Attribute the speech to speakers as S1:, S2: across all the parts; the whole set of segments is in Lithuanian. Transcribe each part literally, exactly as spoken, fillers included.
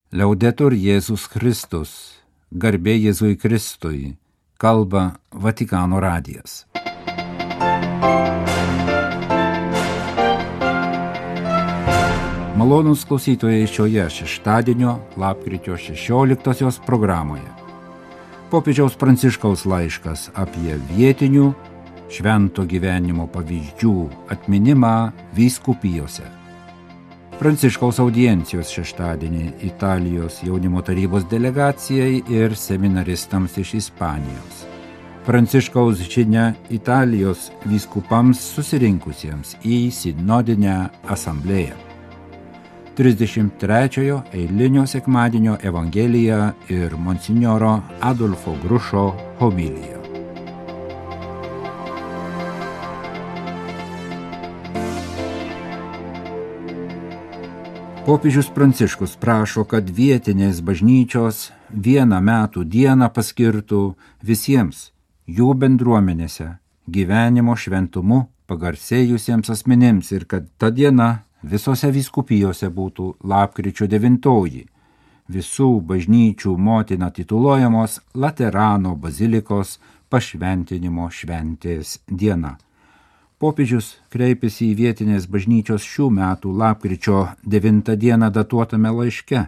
S1: Liaudetur Jėzus Kristus, garbė Jėzui Kristui, kalba Vatikano radijas. Malonūs klausytojai šioje šeštadienio lapkričio šešioliktosios programoje. Popiežiaus Pranciškaus laiškas apie vietinių švento gyvenimo pavyzdžių atminimą vyskupijose. Pranciškaus audiencijos šeštadienį Italijos jaunimo tarybos delegacijai ir seminaristams iš Ispanijos. Pranciškaus žinia Italijos vyskupams susirinkusiems į sinodinę asamblėją. trisdešimt trečiojo eilinio sekmadienio evangelija ir monsinjoro Adolfo Grušo homilija. Popiežius Pranciškus prašo, kad vietinės bažnyčios vieną metų dieną paskirtų visiems jų bendruomenėse gyvenimo šventumu pagarsėjusiems asmenims ir kad ta diena visose vyskupijose būtų lapkričio devintoji, visų bažnyčių motina tituluojamos Laterano bazilikos pašventinimo šventės diena. Popiežius kreipėsi į vietinės bažnyčios šių metų lapkričio devintą dieną datuotame laiške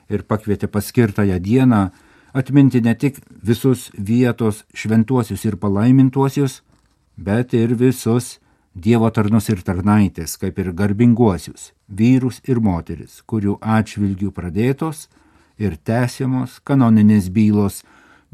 S1: ir pakvietė paskirtąją dieną atminti ne tik visus vietos šventuosius ir palaimintuosius, bet ir visus Dievo tarnus ir tarnaitės, kaip ir garbinguosius, vyrus ir moteris, kurių atžvilgių pradėtos ir tęsiamos kanoninės bylos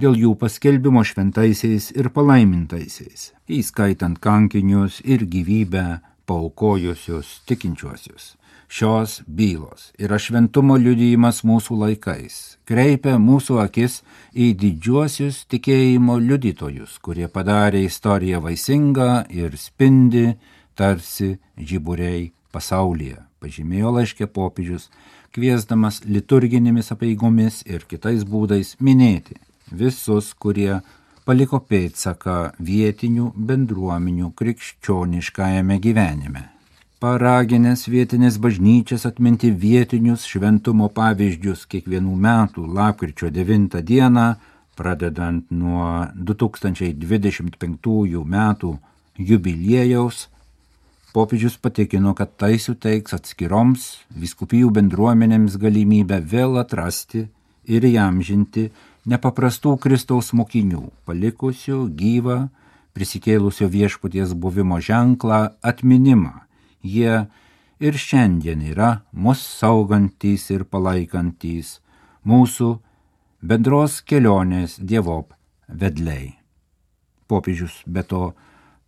S1: dėl jų paskelbimo šventaisiais ir palaimintaisiais, įskaitant kankinius ir gyvybę paaukojusius tikinčiuosius. Šios bylos yra šventumo liudijimas mūsų laikais, kreipia mūsų akis į didžiuosius tikėjimo liudytojus, kurie padarė istoriją vaisingą ir spindi tarsi žiburiai pasaulyje, pažymėjo laiške popiežius, kviesdamas liturginėmis apeigomis ir kitais būdais minėti visus, kurie paliko pėdsaką vietinių bendruomenių krikščioniškajame gyvenime. Paraginęs vietinės bažnyčias atminti vietinius šventumo pavyzdžius kiekvienų metų lapkričio devintą dieną, pradedant nuo du tūkstančiai dvidešimt penktųjų metų jubiliejaus, popiežius patikino, kad tai suteiks atskiroms vyskupijų bendruomenėms galimybę vėl atrasti ir įamžinti nepaprastų Kristaus mokinių, palikusių gyvą prisikėlusio viešpaties buvimo ženklą atminimą. Jie ir šiandien yra mus saugantys ir palaikantys mūsų bendros kelionės dievop vedliai. Popiežius be to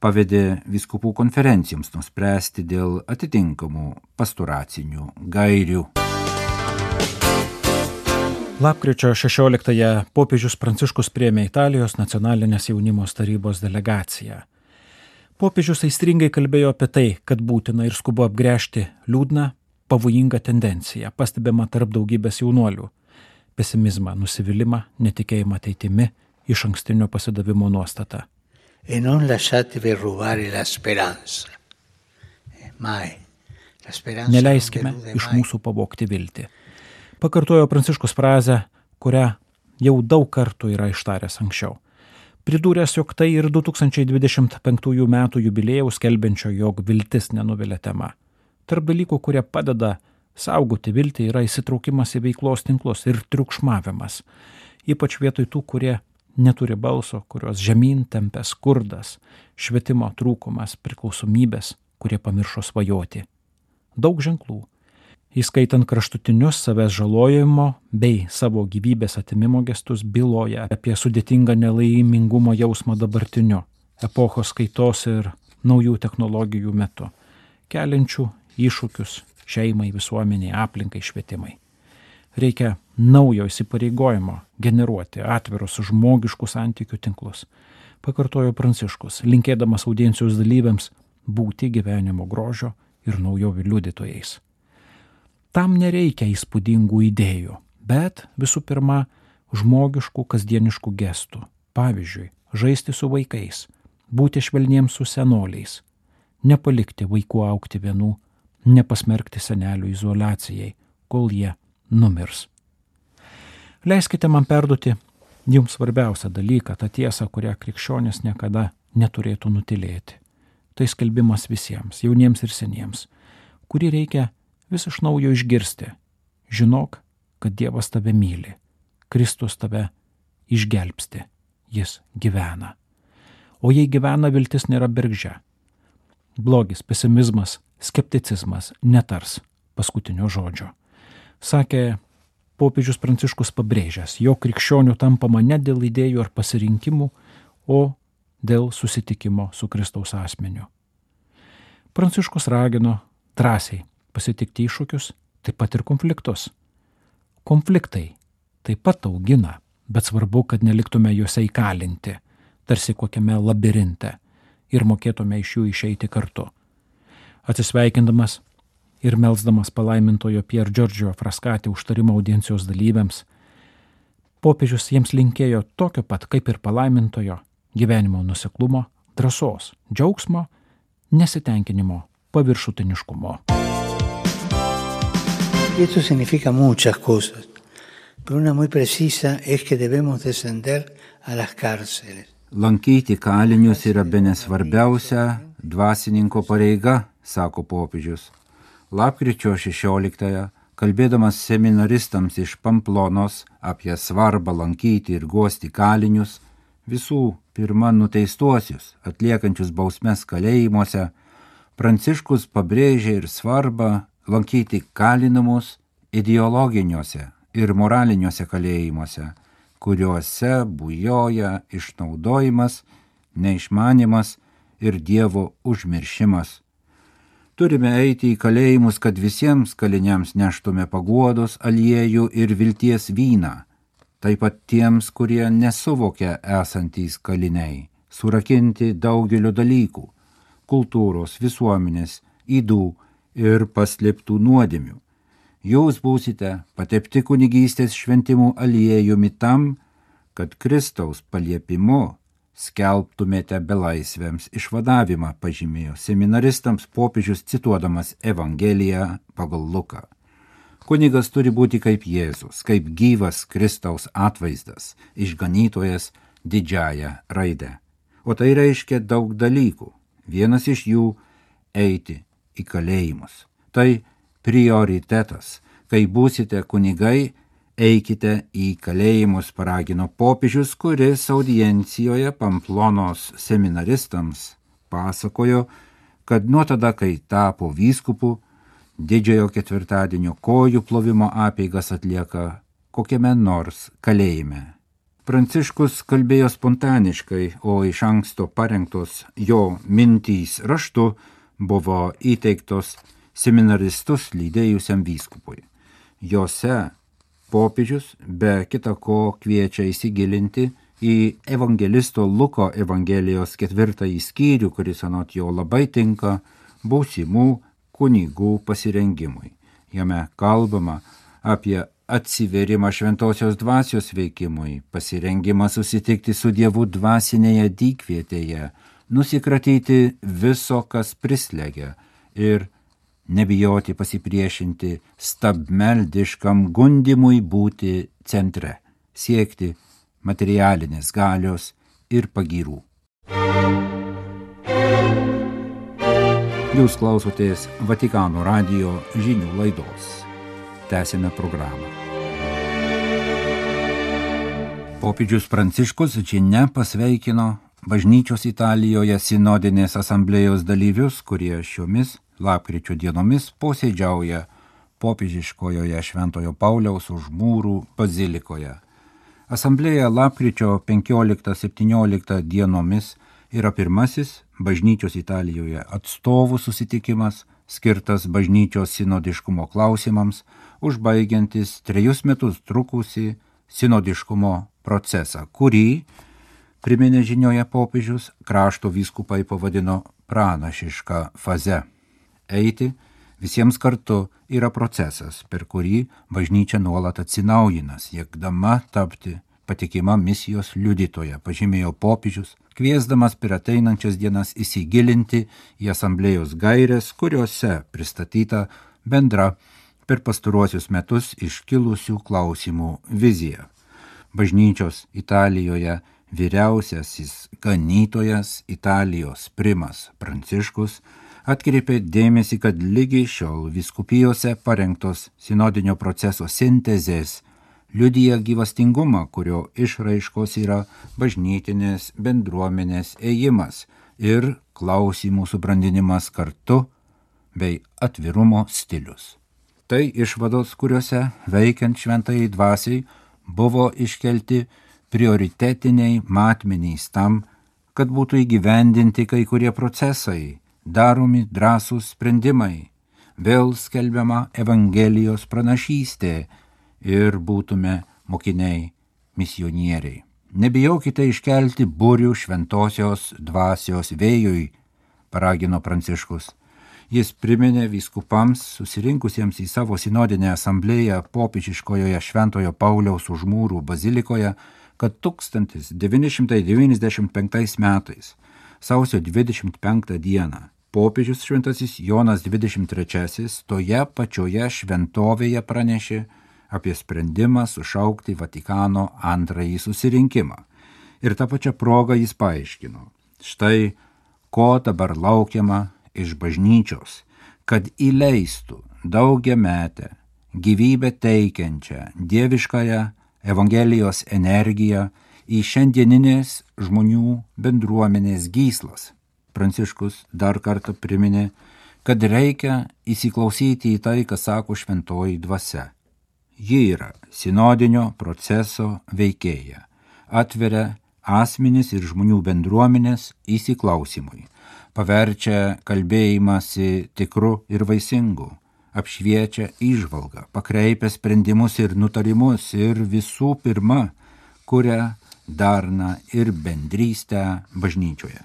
S1: pavedė vyskupų konferencijoms nuspręsti dėl atitinkamų pastoracinių gairių.
S2: Lapkričio šešioliktąją popiežius Pranciškus priėmė Italijos nacionalinės jaunimo tarybos delegaciją. Popiežius aistringai kalbėjo apie tai, kad būtina ir skubu apgręžti liūdną, pavojingą tendenciją, pastebimą tarp daugybės jaunuolių – pesimizmą, nusivylimą, netikėjimą ateitimi, išankstinio pasidavimo nuostatą.
S3: E non lasciatevi rubare la speranza. Mai. La speranza
S2: Neleiskime iš mūsų pavogti viltį. Pakartojo Pranciškus frazę, kurią jau daug kartų yra ištaręs anksčiau. Pridūręs, jog tai ir du tūkstančiai dvidešimt penktųjų metų jubiliejaus skelbiančio, jog viltis nenuvilia tema. Tarp dalykų, kurie padeda saugoti viltį, yra įsitraukimas į veiklos tinklus ir triukšmavimas, ypač vietoj tų, kurie neturi balso, kurios žemyn tempia skurdas, švietimo trūkumas, priklausomybės, kurie pamiršo svajoti. Daug ženklų, įskaitant kraštutinius savęs žalojimo bei savo gyvybės atimimo gestus, byloja apie sudėtingą nelaimingumo jausmą dabartiniu, epochos kaitos ir naujų technologijų metu, keliančių iššūkius šeimai, visuomeniai, aplinkai, švietimai. Reikia naujo įsipareigojimo generuoti atvirus žmogiškų santykių tinklus, pakartojo Pranciškus, linkėdamas audiencijos dalyviams būti gyvenimo grožio ir naujovių liudytojais. Tam nereikia įspūdingų idėjų, bet visų pirma žmogiškų kasdieniškų gestų. Pavyzdžiui, žaisti su vaikais, būti švelniems su senoliais, nepalikti vaikų augti vienų, nepasmerkti senelių izoliacijai, kol jie numirs. Leiskite man perduoti jums svarbiausią dalyką, tą tiesą, kurią krikščionis niekada neturėtų nutilėti. Tai skelbimas visiems, jauniems ir seniems, kurį reikia vis iš naujo išgirsti. Žinok, kad Dievas tave myli, Kristus tave išgelbsti, jis gyvena. O jei gyvena, viltis nėra bergždžia. Blogis, pesimizmas, skepticizmas netars paskutinio žodžio. Sakė popiežius Pranciškus pabrėžęs, jo krikščionių tampama ne dėl idėjų ar pasirinkimų, o dėl susitikimo su Kristaus asmeniu. Pranciškus ragino drąsiai pasitikti iššūkius, taip pat ir konfliktus. Konfliktai taip pat augina, bet svarbu, kad neliktume juose įkalinti, tarsi kokiame labirinte, ir mokėtume iš jų išeiti kartu. Atsisveikindamas ir melsdamas palaimintojo Pier Giorgio Frascati užtarimo audiencijos dalyviams, popiežius jiems linkėjo tokio pat kaip ir palaimintojo gyvenimo nuoseklumo, drąsos, džiaugsmo, nesitenkinimo, paviršutiniškumo.
S3: Esto significa muchas cosas, pero una muy precisa es que debemos descender a las cárceles.
S1: Lankyti kalinius yra bene svarbiausia dvasininko pareiga, sako popiežius. Lapkričio šešioliktąją, kalbėdamas seminaristams iš Pamplonos apie svarbą lankyti ir guosti kalinius, visų pirma nuteistuosius, atliekančius bausmes kalėjimuose, Pranciškus pabrėžė ir svarbą lankyti kalinamus ideologiniuose ir moraliniuose kalėjimuose, kuriuose bujoja išnaudojimas, neišmanimas ir Dievo užmiršimas. Turime eiti į kalėjimus, kad visiems kaliniams neštume paguodos, aliejų ir vilties vyną, taip pat tiems, kurie nesuvokia esantys kaliniai, surakinti daugelio dalykų, kultūros, visuomenės, ydų ir paslėptų nuodėmių. Jūs būsite patepti kunigystės šventimų aliejumi tam, kad Kristaus paliepimu skelbtumėte belaisvėms išvadavimą, pažymėjo seminaristams popiežius cituodamas Evangeliją pagal Luką. Kunigas turi būti kaip Jėzus, kaip gyvas Kristaus atvaizdas, išganytojas didžiąja raide. O tai reiškia daug dalykų. Vienas iš jų – eiti į kalėjimus. Tai prioritetas. Kai būsite kunigai, eikite į kalėjimus, paragino popiežius, kuris audiencijoje Pamplonos seminaristams pasakojo, kad nuo tada, kai tapo vyskupu, didžiojo ketvirtadienio kojų plovimo apeigas atlieka kokiame nors kalėjime. Pranciškus kalbėjo spontaniškai, o iš anksto parengtos jo mintys raštu buvo įteiktos seminaristus lydėjusiam vyskupui. Jose popiežius be kita ko kviečia įsigilinti į evangelisto Luko Evangelijos ketvirtąjį skyrių, kuris anot jo labai tinka būsimų kunigų pasirengimui. Jame kalbama apie atsiverimą šventosios dvasios veikimui, pasirengimą susitikti su Dievu dvasinėje dykvietėje, nusikratyti viso, kas prislegia ir nebijoti pasipriešinti stabmeldiškam gundimui būti centre, siekti materialinės galios ir pagyrų. Jūs klausotės Vatikano radijo žinių laidos. Tęsime programą. Popiežius Pranciškus žinia pasveikino bažnyčios Italijoje sinodinės asamblėjos dalyvius, kurie šiomis lapkričio dienomis posėdžiauja popiežiškojoje Šventojo Pauliaus už mūrų bazilikoje. Asamblėja lapkričio penkioliktą septynioliktą dienomis yra pirmasis bažnyčios Italijoje atstovų susitikimas, skirtas bažnyčios sinodiškumo klausimams, užbaigiantis trejus metus trukusį sinodiškumo procesą, kurį, priminė žinioje popiežius, krašto vyskupai pavadino pranašiška faze. Eiti visiems kartu yra procesas, per kurį bažnyčia nuolat atsinaujina, siekdama tapti patikima misijos liudytoja, pažymėjo popiežius, kviesdamas per ateinančias dienas įsigilinti į asamblėjos gaires, kuriuose pristatyta bendra per pastaruosius metus iškilusių klausimų vizija. bažnyčios Italijoje vyriausiasis ganytojas Italijos primas Pranciškus atkreipė dėmesį, kad lygi šiol vyskupijose parengtos sinodinio proceso sintezės liudija gyvastingumą, kurio išraiškos yra bažnytinės bendruomenės ėjimas ir klausimų subrandinimas kartu bei atvirumo stilius. Tai išvados, kuriuose veikiant šventajai dvasiai buvo iškelti prioritetiniai matmenys tam, kad būtų įgyvendinti kai kurie procesai, daromi drąsūs sprendimai, vėl skelbiama Evangelijos pranašystė ir būtume mokiniai misionieriai. Nebijokite iškelti burių šventosios dvasios vėjui, paragino Pranciškus. Jis priminė vyskupams susirinkusiems į savo sinodinę asamblėją popiežiškojoje Šventojo Pauliaus už mūrų bazilikoje, kad tūkstantis devyni šimtai devyniasdešimt penktais metais, sausio dvidešimt penktą dieną, popiežius šventasis Jonas dvidešimt trečiasis toje pačioje šventovėje pranešė apie sprendimą sušaukti Vatikano antrąjį susirinkimą. Ir tą pačią progą jis paaiškino, štai ko dabar laukiama iš bažnyčios, kad įleistų daugiametę, gyvybę teikiančią, dieviškąją Evangelijos energiją į šiandieninės žmonių bendruomenės gyslas. Pranciškus dar kartą priminė, kad reikia įsiklausyti į tai, ką sako šventoji dvasia. Ji yra sinodinio proceso veikėja, atveria asmenis ir žmonių bendruomenės įsiklausimui, paverčia kalbėjimąsi tikru ir vaisingu, apšviečia įžvalgą, pakreipia sprendimus ir nutarimus ir visų pirma, kuria darną ir bendrystę bažnyčioje.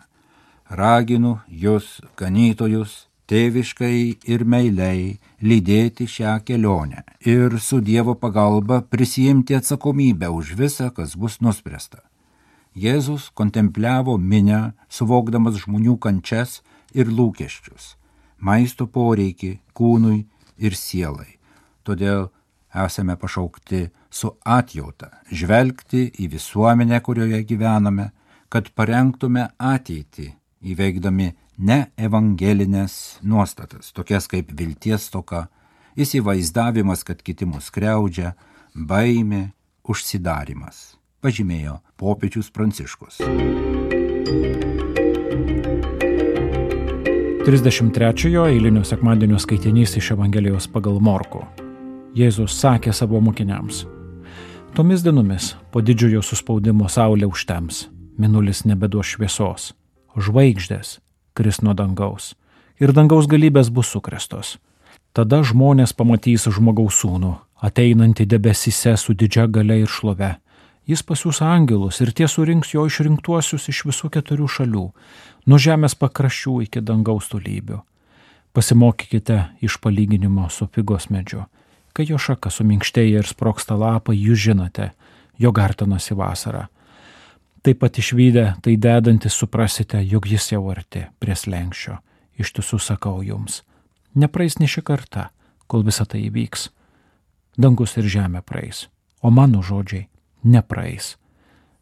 S1: Raginu jūs, ganytojus, tėviškai ir meiliai lydėti šią kelionę ir su Dievo pagalba prisijimti atsakomybę už visą, kas bus nuspręsta. Jėzus kontempliavo minią, suvokdamas žmonių kančias ir lūkesčius, maisto poreikį kūnui ir sielai. Todėl esame pašaukti su atjauta žvelgti į visuomenę, kurioje gyvename, kad parengtume ateitį, įveikdami ne evangelinės nuostatas, tokias kaip vilties stoka, įsivaizdavimas, kad kiti mus skriaudžia, baimė, užsidarimas, pažymėjo popiežius Pranciškus.
S2: trisdešimt trečiojo eilinio sekmadienio skaitinys iš Evangelijos pagal Morkų. Jėzus sakė savo mokiniams: tomis dienomis po didžiojo suspaudimo saulė užtems, mėnulis nebeduos šviesos, žvaigždės kris nuo dangaus ir dangaus galybės bus sukrėstos. Tada žmonės pamatys žmogaus sūnų, ateinantį debesyse su didžia galia ir šlove. Jis pasiųs angelus ir tie surinks jo išrinktuosius iš visų keturių šalių, nuo žemės pakraščių iki dangaus tolybių. Pasimokykite iš palyginimo su figos medžiu. Kai jo šaka suminkštėja ir sproksta lapai, jūs žinote, jo artinasi vasara. Taip pat išvydę tai dedantis suprasite, jog jis jau arti prie slenksčio. Iš tiesų sakau jums, nepraeis ne ši karta, kol visa tai įvyks. Dangus ir žemė praeis, o mano žodžiai nepraeis.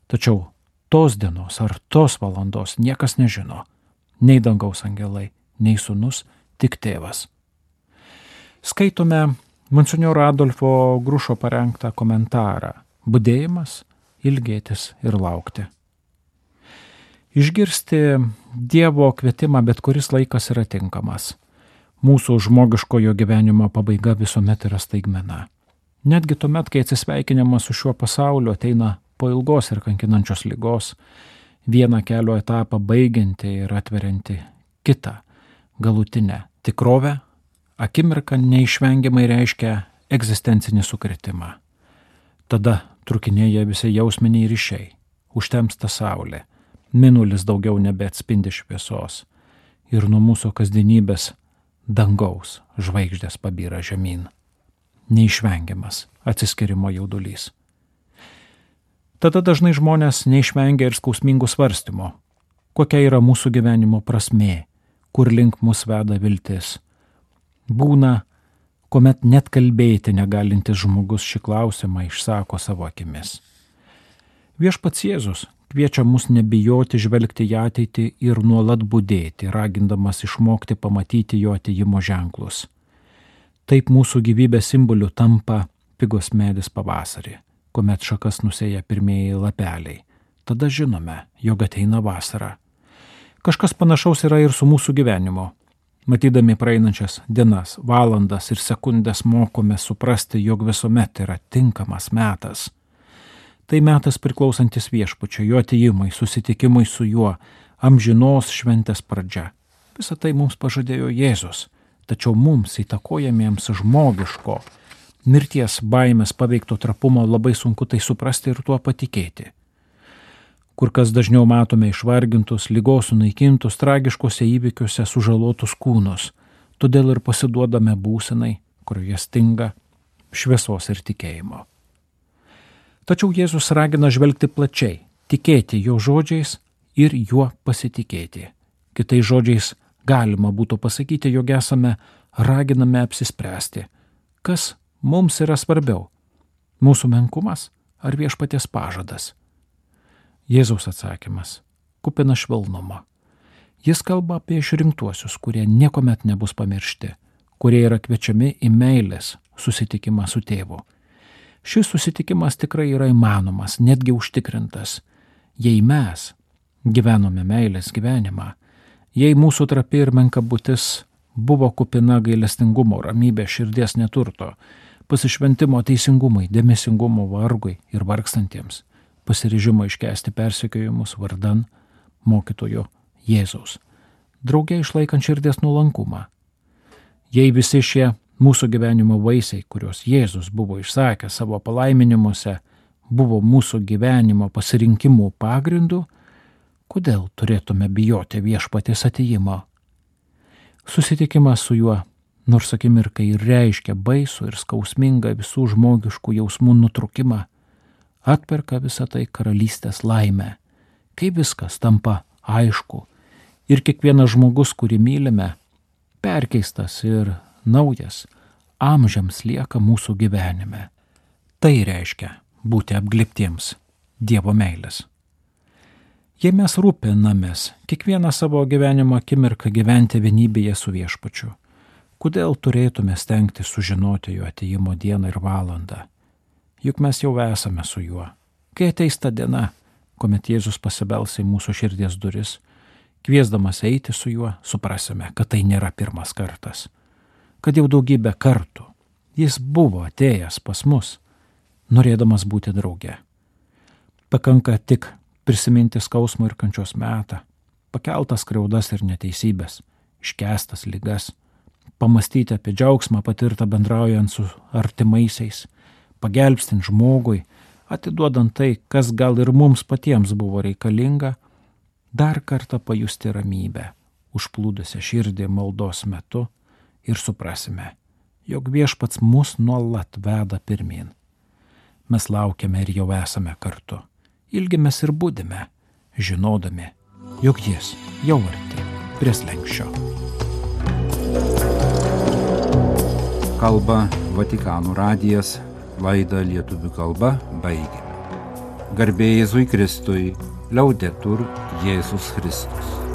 S2: Tačiau tos dienos ar tos valandos niekas nežino, nei dangaus angelai, nei sūnus, tik tėvas. Skaitome monsinjoro Adolfo Grušo parengtą komentarą Budėjimas, ilgėtis ir laukti. Išgirsti Dievo kvietimą bet kuris laikas yra tinkamas. Mūsų žmogiškojo gyvenimo pabaiga visuomet yra staigmena. Netgi tuomet, kai atsisveikinimas su šiuo pasauliu ateina po ilgos ir kankinančios ligos, vieną kelio etapą baigianti ir atverianti kitą, galutinę tikrovę, akimirka neišvengiamai reiškia egzistencinį sukritimą. Tada trukinėja visi jausminiai ryšiai, užtemsta saulė, mėnulis daugiau nebeatspindi šviesos ir nuo mūsų kasdienybės dangaus žvaigždės pabyra žemyn. Neišvengiamas atsiskirimo jaudulys. Tada dažnai žmonės neišvengia ir skausmingų svarstymo, kokia yra mūsų gyvenimo prasmė, kur link mus veda viltis. Būna, kuomet net kalbėti negalintis žmogus šį klausimą išsako savo akimis. Viešpats Jėzus kviečia mus nebijoti žvelgti į ateitį ir nuolat budėti, ragindamas išmokti pamatyti jo atėjimo ženklus. Taip mūsų gyvybės simboliu tampa figos medis pavasarį, kuomet šakas nusėja pirmieji lapeliai. Tada žinome, jog ateina vasara. Kažkas panašaus yra ir su mūsų gyvenimu. Matydami praeinančias dienas, valandas ir sekundės mokome suprasti, jog visuomet yra tinkamas metas. Tai metas priklausantis Viešpačiui, jo atėjimui, susitikimui su juo, amžinos šventės pradžia. Visą tai mums pažadėjo Jėzus, tačiau mums įtakojamiems žmogiško, mirties baimės paveikto trapumo labai sunku tai suprasti ir tuo patikėti. Kur kas dažniau matome išvargintus, ligos sunaikintus, tragiškose įvykiuose sužalotus kūnus, todėl ir pasiduodame būsenai, kurioje stinga šviesos ir tikėjimo. Tačiau Jėzus ragina žvelgti plačiai, tikėti jo žodžiais ir juo pasitikėti. Kitais žodžiais galima būtų pasakyti, jog esame raginame apsispręsti, kas mums yra svarbiau – mūsų menkumas ar Viešpaties pažadas. Jėzaus atsakymas – kupina švelnumo. Jis kalba apie išrinktuosius, kurie niekuomet nebus pamiršti, kurie yra kviečiami į meilės susitikimą su tėvu. Šis susitikimas tikrai yra įmanomas, netgi užtikrintas. Jei mes gyvenome meilės gyvenimą, jei mūsų trapi ir menka būtis buvo kupina gailestingumo, ramybės, širdies neturto, pasišventimo teisingumui, dėmesingumo vargui ir vargstantiems, pasiryžimo iškęsti persekiojimus vardan mokytojo Jėzaus, drauge išlaikant širdies nuolankumą. Jei visi šie mūsų gyvenimo vaisiai, kuriuos Jėzus buvo išsakęs savo palaiminimuose, buvo mūsų gyvenimo pasirinkimų pagrindu, kodėl turėtume bijoti Viešpaties atėjimo? Susitikimas su juo, nors akimirkai ir reiškia baisų ir skausmingą visų žmogiškų jausmų nutrūkimą, atperka visą tai karalystės laimę, kai viskas tampa aišku ir kiekvienas žmogus, kurį mylime, perkeistas ir naujas, amžiams lieka mūsų gyvenime. Tai reiškia būti apglėbtiems Dievo meilės. Jei mes rūpinamės kiekvieną savo gyvenimo akimirką gyventi vienybėje su Viešpačiu, kodėl turėtume stengti sužinoti jo atėjimo dieną ir valandą? Juk mes jau esame su juo. Kai ateis ta diena, kuomet Jėzus pasibels į mūsų širdies duris, kviesdamas eiti su juo, suprasime, kad tai nėra pirmas kartas. Kad jau daugybę kartų jis buvo atėjęs pas mus, norėdamas būti drauge. Pakanka tik prisiminti skausmo ir kančios metą, pakeltas skriaudas ir neteisybės, iškęstas ligas, pamastyti apie džiaugsmą patirtą bendraujant su artimaisiais, pagelbstint žmogui, atiduodant tai, kas gal ir mums patiems buvo reikalinga, dar kartą pajusti ramybę, užplūdusią širdį maldos metu ir suprasime, jog Viešpats mus nuolat veda pirmyn. Mes laukiame ir jau esame kartu, ilgimės ir budime, žinodami, jog jis jau arti prie slenksčio.
S1: Kalba Vatikano radijas, laidą lietuvių kalba baigėme. Garbė Jėzui Kristui, liaudetur Jėzus Kristus.